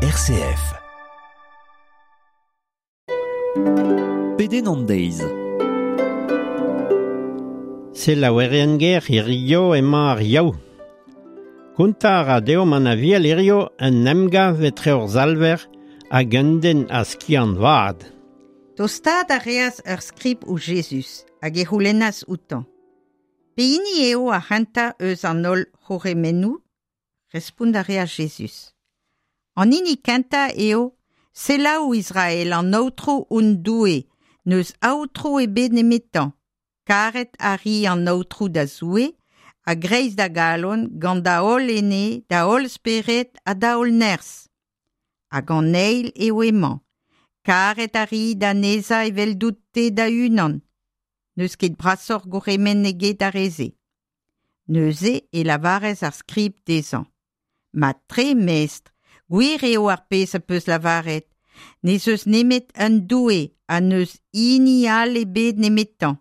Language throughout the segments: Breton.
RCF. Pedenn an deiz. Selaouerien ger hirio emañ ar Yaou. Kontañ a ra deomp an Aviel hirio un emgav etre hor Salver hag un den a skiant vat. Tostaat a reas ur skrib ouzh Jezuz hag e c'houlennas outañ. Pehini eo ar c'hentañ eus an holl c'hourc'hemennoù? Respont a reas Jezuz. An hini kentañ eo Selaou Israel an Aotrou hon Doue, n'eus Aotrou ebet nemetañ. Karet a ri an Aotrou da Zoue, a-greiz da galon, gant da holl ene, da holl spered ha da holl nerzh. Hag an eil eo emañ. Karet a ri da nesañ eveldout-te da-unan. N'eus ket brasoc'h gourc'hemenn eget ar re-se. Neuze e lavaras ar skrib dezhañ. Mat-tre, mestr, gwir eo ar pezh az peus lavaret. N'ez eus nemet un Doue ha n'eus hini all ebet nemetañ.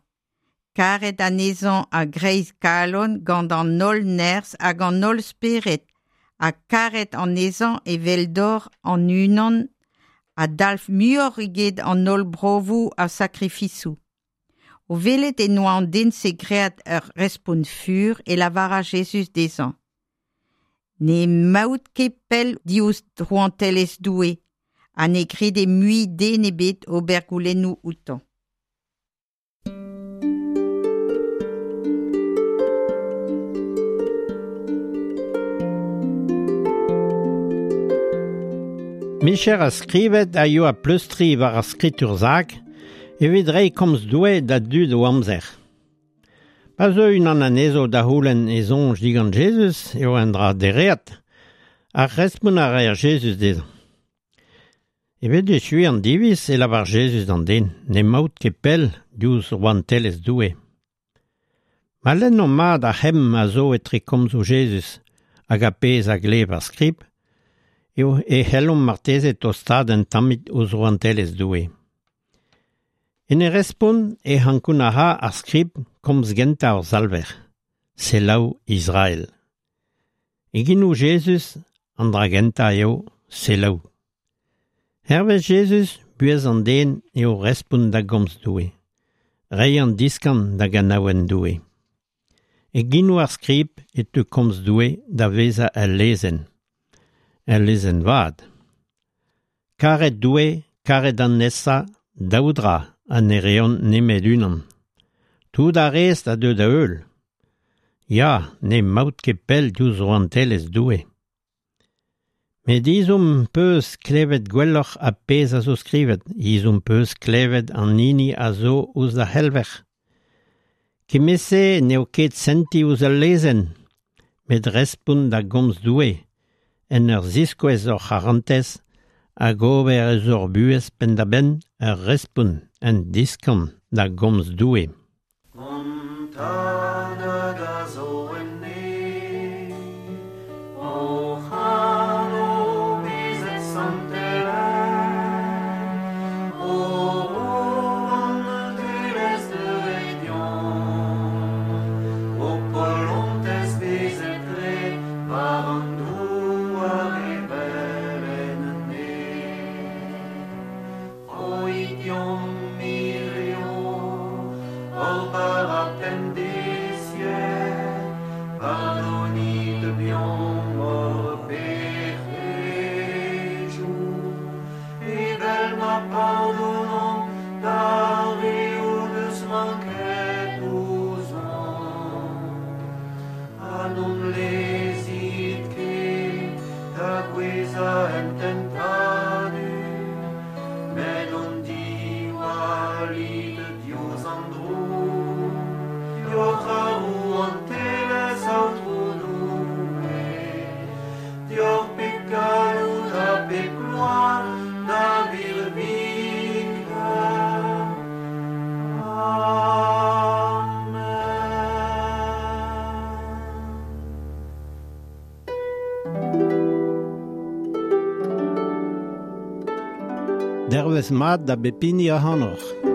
Karet anezhañ a-greiz kalon gant an holl nerzh hag an holl spered ha karet anezhañ eveldoc'h an-unan a dalv muioc'h eget an holl brofoù ha sakrifisoù. O welet en doa an den-se graet ur respont fur e lavaras Jezuz dezhañ: N'emaout ket pell diouzh rouantelezh Doue ha ne grede mui den ebet ober goulennoù outañ. Micher a skrivet a yoa pleustriñ war ar skritur sakr evit reiñ komz Doue da dud o amzer. Pa zeu unan anezho da c'houlenn e soñj digant Jezuz eo un dra dereat, ar respont a raer Jezuz dezhañ. Evit echuiñ an diviz e lavar Jezuz d'an den n'emaout ket pell diouzh rouantelezh Doue. Ma lennomp mat ar c'hemm a zo etre komzoù Jezuz hag ar pezh a glev ar skrib, eo e c'hellomp marteze tostaat un tammig ouzh rouantelezh Doue. En e respont e ankounac'ha ar skrib komz gentañ hor Salver, selaou Israel. E genoù Jezuz, an dra gentañ eo selaou. Hervez Jezuz, buhez an den eo respont da gomz Doue, reiñ an diskan da ganaouenn Doue. E genoù ar skrib e teu komz Doue da vezañ ul lezenn, ul lezenn vat. Karet Doue, karet an nesañ, daou dra ha ne reont nemet unan. Tout ar rest a deu da heul. Ya, n'emaout ket pell diouzh rouantelezh Doue. Met ezhomm 'peus klevet gwelloc'h ar pezh a zo skrivet, ezhomm 'peus klevet an hini a zo ouzh da c'helver. Kement-se n'eo ket sentiñ ouzh al lezenn, met respont da gomz Doue, en ur ziskouez hor c'harantez hag ober eus hor buhez penn-da-benn ur respont, un diskan da gomz Doue. Hon Tad hag a zo en neñv, hoc'h anv bezet santelaet, ho rouantelezh deuet deomp, ho polontez bezet graet war an douar evel en neñv. Roit deomp hirio hor bara pemdeziek, pardonit deomp hor pec'hedoù, evel ma pardonomp d'ar re o deus manket ouzhomp. Ha n'hon lezit ket da gouezhañ en tentadur, met hon diwallit diouzh an droug, deoc'h ar rouantelezh, Aotrou Doue, deoc'h pep galloud ha pep gloar da virviken. Amen. Dervezh mat da bep hini ac'hanoc'h.